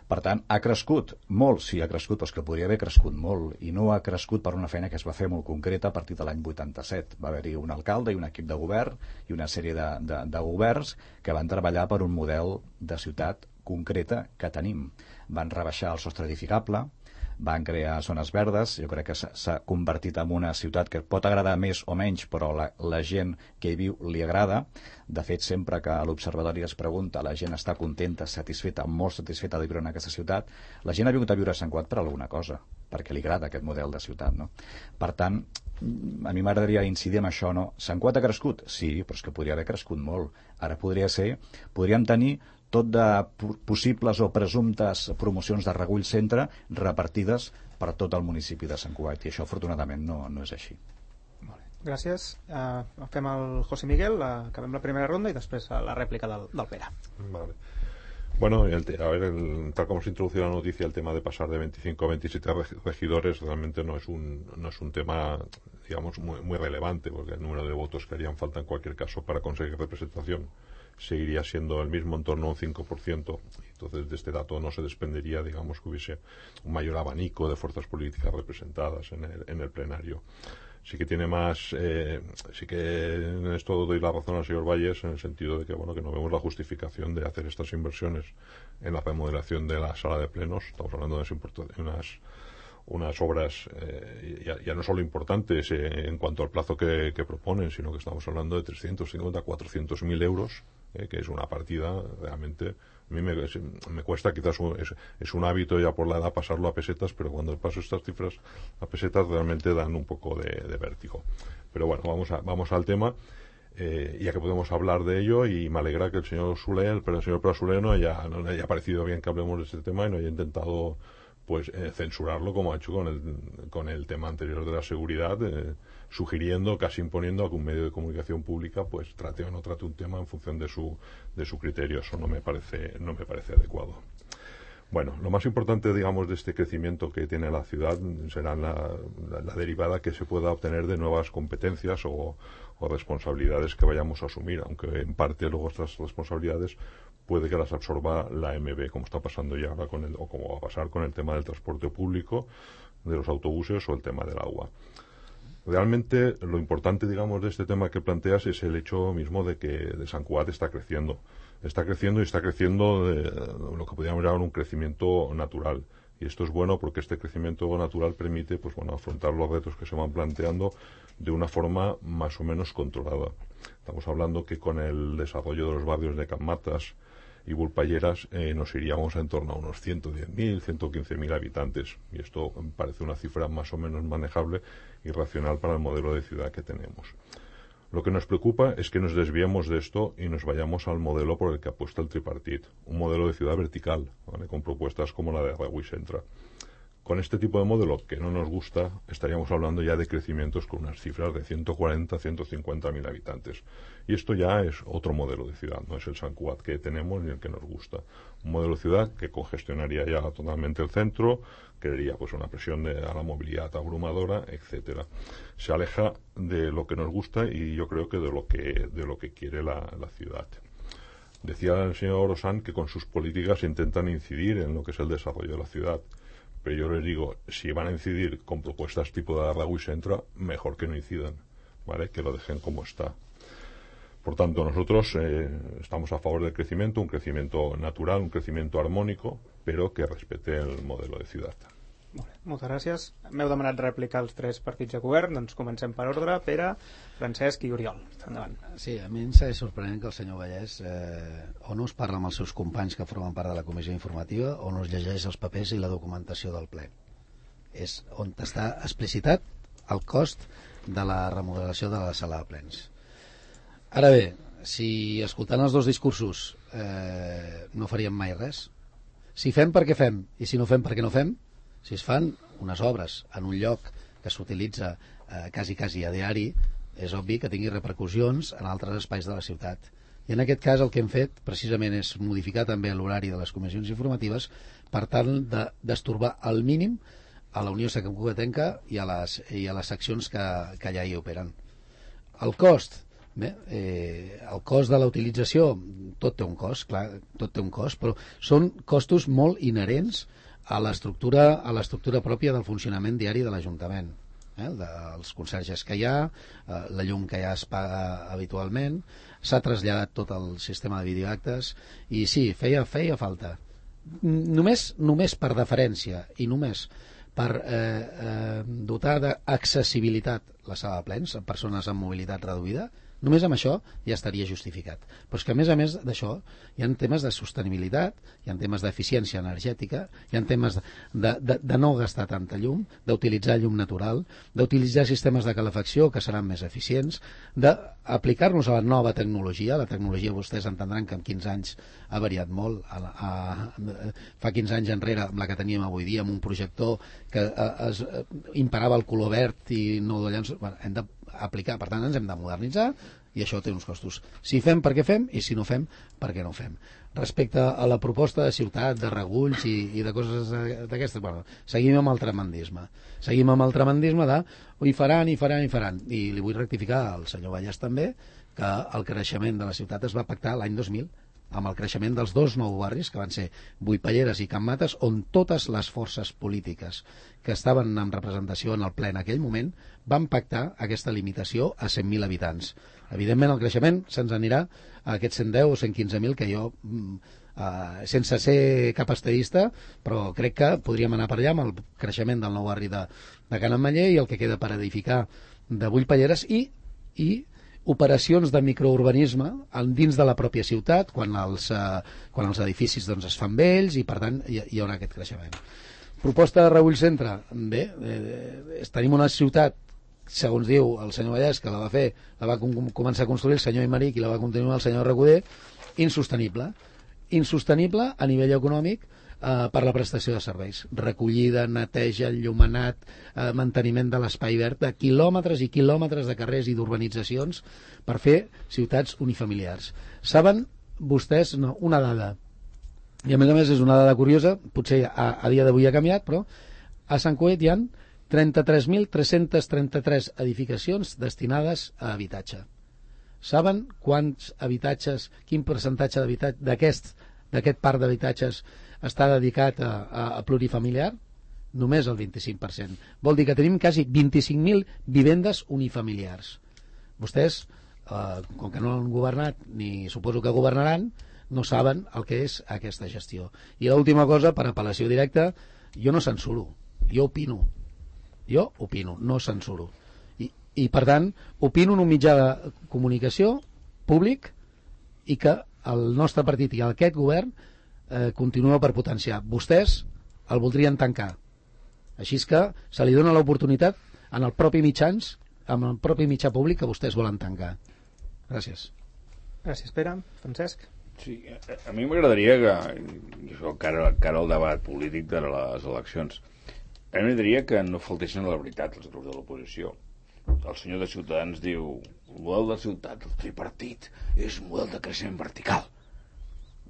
Per tant, ha crescut molt, sí, ha crescut, però és que podria haver crescut molt, i no ha crescut per una feina que es va fer molt concreta a partir de l'any vuitanta-set. Va haver-hi un alcalde i un equip de govern i una sèrie de, de, de governs que van treballar per un model de ciutat concreta que tenim. Van rebaixar el sostre edificable, van crear zones verdes, jo crec que s'ha convertit en una ciutat que pot agradar més o menys, però la, la gent que hi viu li agrada. De fet, sempre que a l'Observatori es pregunta, la gent està contenta, satisfeta, molt satisfeta de viure en aquesta ciutat. La gent ha vingut a viure a Sant Cugat per alguna cosa, perquè li agrada aquest model de ciutat, no? Per tant, a mi m'agradaria incidir en això, no? Sant Cugat ha crescut? Sí, però és que podria haver crescut molt. Ara podria ser, podríem tenir tot de possibles o presumptes promocions de Regull Centre repartides per tot el municipi de Sant Cugat, i això afortunadament no, no és així. Molt bé. Gràcies. Uh, fem el José Miguel, uh, acabem la primera ronda i després uh, la rèplica del, del Pere. Vale. Bueno, el, a ver, el, tal como se introdució la noticia, el tema de pasar de veinticinco a veintisiete regidores realmente no es un, no es un tema, digamos, muy, muy relevante, porque el número de votos que harían falta en cualquier caso para conseguir representación seguiría siendo el mismo, en torno a un cinco por ciento. Entonces, de este dato no se desprendería, digamos, que hubiese un mayor abanico de fuerzas políticas representadas en el, en el plenario. sí que tiene más, eh, sí que en esto doy la razón al señor Valles en el sentido de que, bueno, que no vemos la justificación de hacer estas inversiones en la remodelación de la sala de plenos. Estamos hablando de unas, unas, unas obras eh, ya, ya no solo importantes eh, en cuanto al plazo que, que proponen, sino que estamos hablando de trescientos cincuenta, cuatrocientos mil euros, eh, que es una partida realmente. A mí me, me cuesta, quizás es, es un hábito ya por la edad pasarlo a pesetas, pero cuando paso estas cifras a pesetas realmente dan un poco de, de vértigo. Pero bueno, vamos, a, vamos al tema, eh, ya que podemos hablar de ello, y me alegra que el señor Soler, el, el señor Prat Soler no haya, no le haya parecido bien que hablemos de este tema y no haya intentado pues eh, censurarlo como ha hecho con el, con el tema anterior de la seguridad, eh, sugiriendo, casi imponiendo a que un medio de comunicación pública pues trate o no trate un tema en función de su, de su criterio. Eso no me parece, no me parece adecuado. Bueno, lo más importante, digamos, de este crecimiento que tiene la ciudad será la, la, la derivada que se pueda obtener de nuevas competencias o, o responsabilidades que vayamos a asumir, aunque en parte luego estas responsabilidades puede que las absorba la M B, como está pasando ya ahora con el, o como va a pasar con el tema del transporte público, de los autobuses o el tema del agua. Realmente lo importante, digamos, de este tema que planteas es el hecho mismo de que de Sant Cugat está creciendo. Está creciendo y está creciendo de lo que podríamos llamar un crecimiento natural. Y esto es bueno porque este crecimiento natural permite, pues bueno, afrontar los retos que se van planteando de una forma más o menos controlada. Estamos hablando que con el desarrollo de los barrios de Can Matas y Vulpayeras eh, nos iríamos en torno a unos ciento diez mil, ciento quince mil habitantes. Y esto me parece una cifra más o menos manejable y racional para el modelo de ciudad que tenemos. Lo que nos preocupa es que nos desviemos de esto y nos vayamos al modelo por el que apuesta el tripartit, un modelo de ciudad vertical, ¿vale?, con propuestas como la de Reguy Centra. Con este tipo de modelo que no nos gusta, estaríamos hablando ya de crecimientos con unas cifras de ciento cuarenta, ciento cincuenta mil habitantes. Y esto ya es otro modelo de ciudad, no es el Sant Cugat que tenemos ni el que nos gusta. Un modelo de ciudad que congestionaría ya totalmente el centro, crearía pues una presión de, a la movilidad abrumadora, etcétera. Se aleja de lo que nos gusta y yo creo que de lo que, de lo que quiere la, la ciudad. Decía el señor Osan que con sus políticas intentan incidir en lo que es el desarrollo de la ciudad. Pero yo les digo, si van a incidir con propuestas tipo de Reguy Centra, mejor que no incidan, ¿vale?, que lo dejen como está. Por tanto, nosotros eh, estamos a favor del crecimiento, un crecimiento natural, un crecimiento armónico, però que respecte el modelo de ciutat. Molt bé, moltes gràcies. M'heu demanat replicar els tres partits de govern, doncs comencem per ordre. Pere, Francesc i Oriol. Endavant. Sí, a mi em segueix sorprenent que el senyor Vallès eh, o no es parla amb els seus companys que formen part de la comissió informativa o no es llegeix els papers i la documentació del ple. És on està explicitat el cost de la remodelació de la sala de plens. Ara bé, si escoltant els dos discursos eh, no faríem mai res, si fem perquè fem i si no fem perquè no fem, si es fan unes obres en un lloc que s'utilitza eh, quasi quasi a diari, és obvi que tingui repercussions en altres espais de la ciutat. I en aquest cas el que hem fet precisament és modificar també l'horari de les comissions informatives per tal de destorbar al mínim a la Unió Santcugatenca i a les, i a les seccions que, que allà hi operen. El cost, bé, eh, el cost de la utilització, tot té un cost, clar, tot té un cost, però són costos molt inherents a l'estructura a l'estructura pròpia del funcionament diari de l'Ajuntament, eh? dels conserges que hi ha, eh, la llum que ja es paga habitualment, s'ha traslladat tot el sistema de videoactes i sí, feia, feia falta. Només, només per deferència i només per eh, eh, dotar d'accessibilitat la sala de plens a persones amb mobilitat reduïda, només amb això ja estaria justificat. Però és que a més a més d'això hi ha temes de sostenibilitat, hi ha temes d'eficiència energètica, hi ha temes de, de, de no gastar tanta llum, d'utilitzar llum natural, d'utilitzar sistemes de calefacció que seran més eficients, d'aplicar-nos a la nova tecnologia. La tecnologia vostès entendran que en quinze anys ha variat molt. A, a, a, fa quinze anys enrere, amb la que teníem avui dia, amb un projector que a, es, a, imparava el color verd i no de llenços, bueno, hem d'aplicar, per tant ens hem de modernitzar i això té uns costos. Si fem perquè fem i si no fem perquè no fem. Respecte a la proposta de ciutat, de regulls i, i de coses d'aquestes, bueno, seguim amb el tremendisme. Seguim amb el tremendisme de hi faran, hi faran, hi faran. I li vull rectificar al senyor Vallès també que el creixement de la ciutat es va pactar l'any dos mil amb el creixement dels dos nous barris, que van ser Vuipalleres i Can Mates, on totes les forces polítiques que estaven en representació en el ple en aquell moment van pactar aquesta limitació a cent mil habitants. Evidentment, el creixement se'ns anirà a aquests cent deu o cent quinze mil que jo, eh, sense ser cap estadista, però crec que podríem anar per allà amb el creixement del nou barri de, de Can Ametller i el que queda per edificar de Vuipalleres i, i operacions de microurbanisme dins de la pròpia ciutat quan els, eh, quan els edificis doncs, es fan vells i per tant hi, hi haurà aquest creixement. Proposta de Rebull Centre, bé, eh, tenim una ciutat, segons diu el senyor Vallès, que la va fer, la va com començar a construir el senyor Imeric i la va continuar el senyor Recoder, insostenible. Insostenible a nivell econòmic eh, per la prestació de serveis. Recollida, neteja, enllumenat, eh, manteniment de l'espai verd, de quilòmetres i quilòmetres de carrers i d'urbanitzacions per fer ciutats unifamiliars. Saben vostès no, una dada, i a més a més és una dada curiosa, potser a, a dia d'avui ha canviat, però a Sant Cugat hi ha trenta-tres mil tres-cents trenta-tres edificacions destinades a habitatge. Saben quants habitatges, quin percentatge d'aquest d'aquest parc d'habitatges està dedicat a, a, a plurifamiliar? Només el vint-i-cinc per cent. Vol dir que tenim quasi vint-i-cinc mil vivendes unifamiliars. Vostès, eh, com que no han governat, ni suposo que governaran, no saben el que és aquesta gestió. I l'última cosa, per apel·lació directa, jo no censuro, jo opino. Jo opino, no censuro. I, i per tant, opino en un mitjà de comunicació públic i que el nostre partit i aquest govern eh, continua per potenciar. Vostès el voldrien tancar. Així és que se li dona l'oportunitat en el propi mitjans, amb el propi mitjà públic que vostès volen tancar. Gràcies. Gràcies, Pere. Francesc? Sí, a, a mi m'agradaria que, això cara, cara al debat polític de les eleccions, a mi m'agradaria que no faltessin a la veritat els grups de l'oposició. El senyor de Ciutadans diu el model de ciutat, el tripartit, és un model de creixement vertical.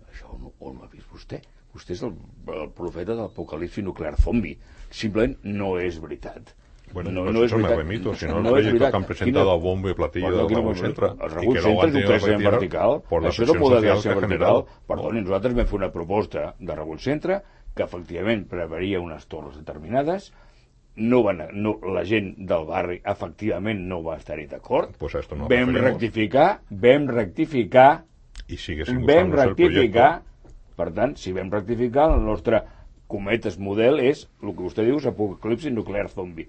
Això on, on ho ha vist vostè? Vostè és el, el profeta de l'apocalipsi nuclear zombi. Simplement no és veritat. Bueno, no, pues no eso es me veritat. remito, si no, no los proyectos que han presentado a bombo y platillo bueno, de Raúl Centra el Raúl y que luego Centra han és un tenido que creixement retirar vertical. por la Això és el presión model de social que creixement ha vertical. generado. Perdoni, nosaltres vam fer una proposta de Raúl Centra que efectivament preveuria unes torres determinades. No van, no, la gent del barri efectivament no va estar-hi d'acord. Pues a esto no vam referimos. rectificar, vam rectificar, y sigue sin vam gustarnos el rectificar. proyecto. Per tant, si vam rectificar, el nostre cometes model és el que vostè diu és apocalipsi nuclear zombi.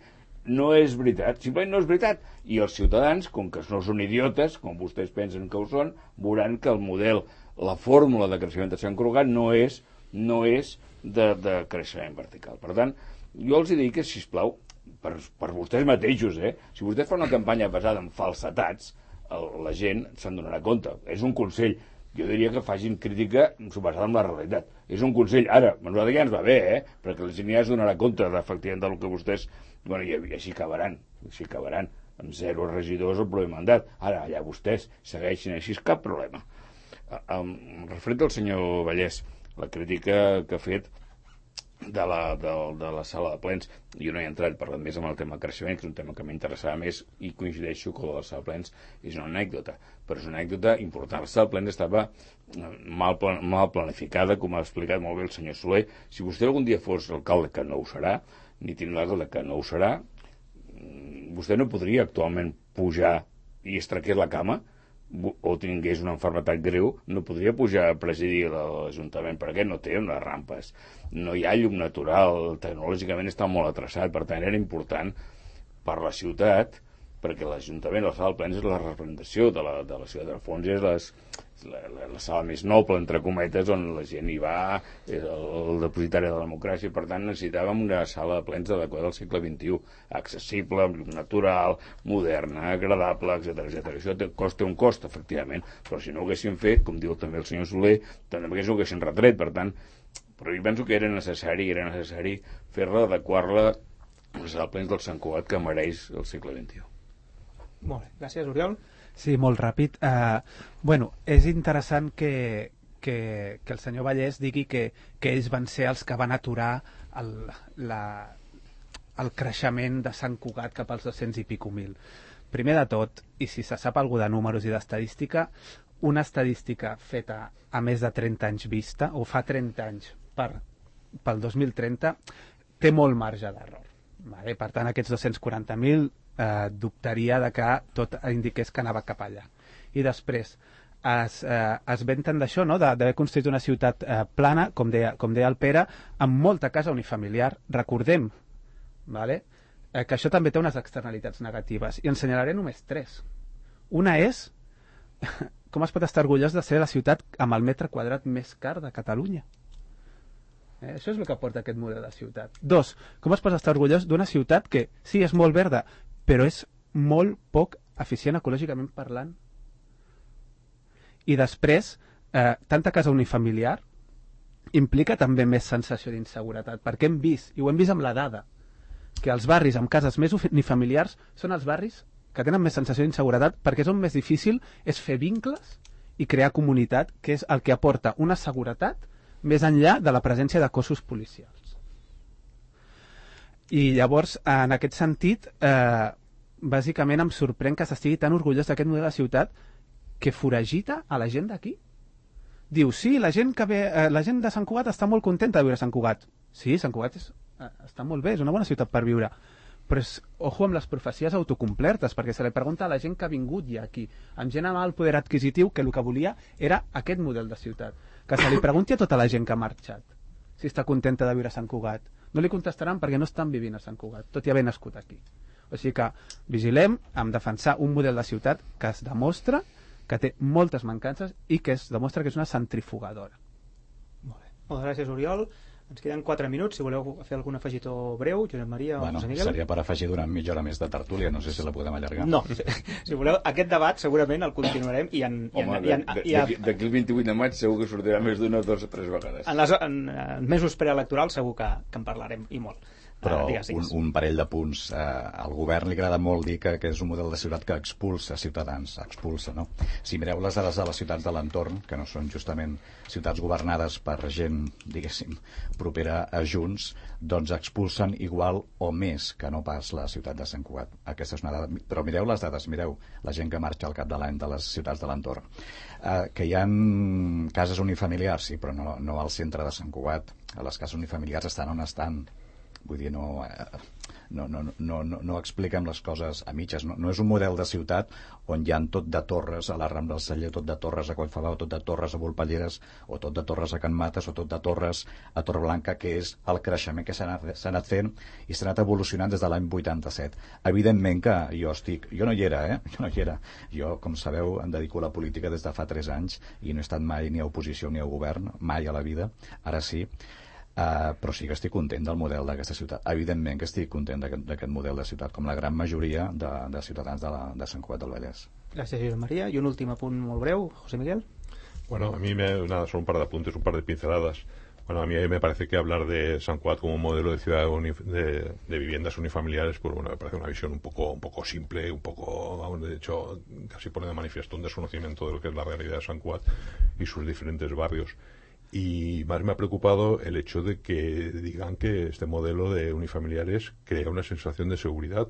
No és veritat, simplement no és veritat. I els ciutadans, com que no són idiotes, com vostès pensen que ho són, veuran que el model, la fórmula de creixement de Sant Cugat no és, no és de, de creixement vertical. Per tant, jo els dic que, sisplau, per, per vostès mateixos, eh? Si vostès fan una campanya basada en falsetats, el, la gent se'n donarà compte. És un consell. Jo diria que facin crítica basada en la realitat. És un consell. Ara, a nosaltres ja ens va bé, eh? Perquè la gent ja es donarà compte efectivament del que vostès... Bueno, i, i així acabaran, així acabaran. Amb zero regidors el proper mandat. Ara, allà vostès segueixin així, cap problema. Um, referent al senyor Vallès, la crítica que ha fet de la, de, de la sala de plens, jo no he entrat parlant més amb el tema creixement, que és un tema que m'interessava més i coincideixo que la sala de plens és una anècdota, però és una anècdota important. La sala de plens estava mal, plan, mal planificada, com ha explicat molt bé el senyor Soler. Si vostè algun dia fos alcalde, que no ho serà, ni tindrà l'alcalde, que no ho serà, vostè no podria actualment pujar i estraquer la cama o tingués una malaltia greu, no podria pujar a presidir l'Ajuntament, perquè no té unes rampes, no hi ha llum natural, tecnològicament està molt atrasat, per tant era important per la ciutat, perquè l'Ajuntament, la sala de plens, és la representació de la, de la ciutat. Al fons és les, la, la, la sala més noble, entre cometes, on la gent hi va, és el, el depositari de la democràcia. Per tant, necessitàvem una sala de plens adequada al segle vint-i-u, accessible, natural, moderna, agradable, etcètera etcètera. Això té, costa un cost, efectivament, però si no ho haguéssim fet, com diu també el senyor Soler, també ho haguéssim retret. Per tant, però jo penso que era necessari, era necessari fer-la, adequar-la a la sala de plens del Sant Cugat que mereix el segle vint-i-u. Molt bé, gràcies, Oriol. Sí, molt ràpid. Uh, bueno, és interessant que, que, que el senyor Vallès digui que, que ells van ser els que van aturar el, la, el creixement de Sant Cugat cap als dos-cents i pico mil. Primer de tot, i si se sap alguna de números i d'estadística, una estadística feta a més de trenta anys vista, o fa trenta anys per, pel dos mil trenta, té molt marge d'error. Vale? Per tant, aquests dos-cents quaranta mil eh, dubtaria de que tot indiqués que anava cap allà. I després es, eh, es venten d'això, no? d'haver construït una ciutat eh, plana, com deia, com deia el Pere, amb molta casa unifamiliar. Recordem, vale? eh, que això també té unes externalitats negatives, i ensenyaré només tres. Una és com es pot estar orgullós de ser la ciutat amb el metre quadrat més car de Catalunya. Eh, això és el que porta aquest model de ciutat. Dos, com es pot estar orgullós d'una ciutat que sí, és molt verda, però és molt poc eficient ecològicament parlant. I després, eh, tanta casa unifamiliar implica també més sensació d'inseguretat, perquè hem vist, i ho hem vist amb la dada, que els barris amb cases més unifamiliars són els barris que tenen més sensació d'inseguretat, perquè és on més difícil és fer vincles i crear comunitat, que és el que aporta una seguretat més enllà de la presència de cossos policials. I llavors, en aquest sentit, eh, bàsicament em sorprèn que s'estigui tan orgullós d'aquest model de ciutat que foragita a la gent d'aquí. Diu, sí, la gent, que ve, eh, la gent de Sant Cugat està molt contenta de viure a Sant Cugat. Sí, Sant Cugat és, eh, està molt bé, és una bona ciutat per viure. Però és, ojo amb les profecies autocomplertes, perquè se li pregunta a la gent que ha vingut ja aquí, amb gent amb alt poder adquisitiu, que el que volia era aquest model de ciutat. Que se li pregunti a tota la gent que ha marxat si està contenta de viure a Sant Cugat. No li contestaran perquè no estan vivint a Sant Cugat, tot i haver nascut aquí. O sigui que vigilem amb defensar un model de ciutat que es demostra que té moltes mancances i que es demostra que és una centrifugadora. Molt bé. Moltes gràcies, Oriol. Ens queden quatre minuts, si voleu fer algun afegitó breu, Josep Maria o bueno, José Miguel. Seria per afegir durant mitja hora més de tertúlia, no sé si la podem allargar. No, si, si voleu, aquest debat segurament el continuarem i en... I en, Home, i en, i en, d'aquí el vint-i-vuit de maig segur que sortirà més d'una o dues o tres vegades. En, les, en, en mesos preelectorals segur que, que en parlarem, i molt. Però uh, digues, digues. un, un parell de punts. Eh, al govern li agrada molt dir que, que és un model de ciutat que expulsa ciutadans, expulsa, no? Si mireu les dades de les ciutats de l'entorn, que no són justament ciutats governades per gent, diguéssim, propera a Junts, doncs expulsen igual o més que no pas la ciutat de Sant Cugat. Aquesta és una dada. Però mireu les dades, mireu la gent que marxa al cap de l'any de les ciutats de l'entorn. Eh, que hi ha cases unifamiliars, sí, però no, no al centre de Sant Cugat. Les cases unifamiliars estan on estan. Vull dir, no, no, no, no, no, no expliquem les coses a mitges. No, no és un model de ciutat on hi ha tot de torres a la Rambla del Celler, tot de torres a Collfabau, tot de torres a Volpelleres, o tot de torres a Can Mates, o tot de torres a Torreblanca, que és el creixement que s'ha anat, s'ha anat fent i s'ha anat evolucionant des de l'any vuitanta-set. Evidentment que jo estic... Jo no hi era, eh? Jo no hi era. Jo, com sabeu, em dedico a la política des de fa tres anys i no he estat mai ni a oposició ni a govern, mai a la vida. Ara sí. Uh, però sí que estic content del model d'aquesta ciutat. Evidentment que estic content d'aquest model de ciutat, com la gran majoria de, de ciutadans de, la, de Sant Cugat del Vallès. Gràcies, Josep María. I un últim apunt molt breu, José Miguel. Bueno, a mí me, nada, son un par de apuntes, un par de pinceladas. Bueno, a mí me parece que hablar de San Cugat como un modelo de ciudad de, de viviendas unifamiliares, pues bueno, me parece una visión un poco, un poco simple, un poco, vamos, de hecho, casi pone de manifiesto un desconocimiento de lo que es la realidad de San Cugat y sus diferentes barrios. Y más me ha preocupado el hecho de que digan que este modelo de unifamiliares crea una sensación de seguridad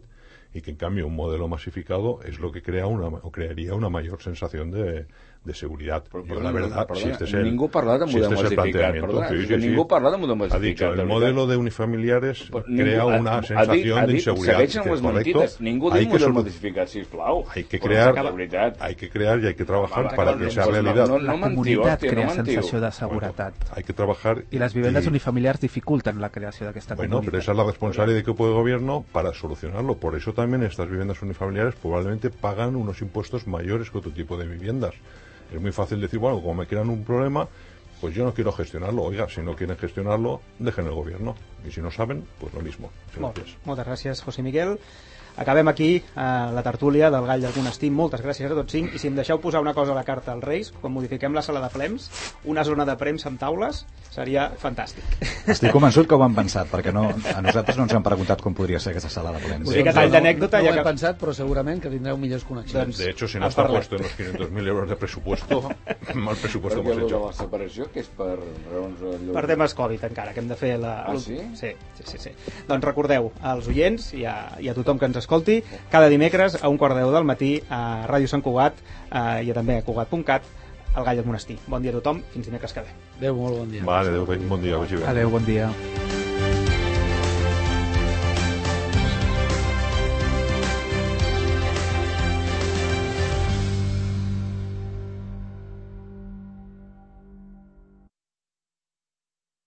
y que en cambio un modelo masificado es lo que crea una o crearía una mayor sensación de, de seguridad. Però, Yo, perdona, la verdad, perdona, si este es el, ningú parla de si model este es el massificat, planteamiento, perdona, sí, és que sí, ningú sí. parla de model Ha massificat. dicho, el de modelo de unifamiliares Però crea ningú, una ha, sensación ha dit, de inseguridad. Segueixen Que les correcto, mentides. Ningú hay diu que model solu- massificat, sisplau. hay que Però crear, de veritat. hay que crear y hay que trabajar Home, para no, que sea pues no, realidad. no, La no mentiu, comunitat hòstia, crea no mentiu. sensació de seguretat. Hay que trabajar I les vivendes y- unifamiliars dificulten la creació d'aquesta Bueno, comunitat. pero esa es la responsabilidad de que puede el gobierno para solucionarlo. Por eso también estas viviendas unifamiliares probablemente pagan unos impuestos mayores que otro tipo de viviendas. Es muy fácil decir, bueno, como me crean un problema, pues yo no quiero gestionarlo. Oiga, si no quieren gestionarlo, dejen el gobierno. Y si no saben, pues lo mismo. Molt, Gracias. moltes gràcies, José Miguel. Acabem aquí eh, la tertúlia del Gall d'Algun Estim. Moltes gràcies a tots cinc. I si em deixeu posar una cosa a la carta als Reis, quan modifiquem la sala de plems, una zona de premsa amb taules, seria fantàstic. Estic convençut que ho han pensat, perquè no, a nosaltres no ens han preguntat com podria ser aquesta sala de plens. Una mica tall d'anècdota. No, no ja ho he que... pensat, però segurament que tindreu millors connexions. De hecho, si no a está parlar. puesto en los quinientos mil euros de presupuesto, mal presupuesto Perquè hemos lo de hecho. la separació, que és per raons... allò- Per temes Covid encara, que hem de fer la... Ah, sí? Sí, sí, sí, sí. Doncs recordeu als oients i a, i a tothom que ens escolti cada dimecres a un quart de deu del matí a Ràdio Sant Cugat eh, i també a cugat punt cat, al Gall del Monestir. Bon dia a tothom, fins dimecres que ve. Adéu, molt bon dia. Vale, adéu, bon dia. Adéu, bon dia.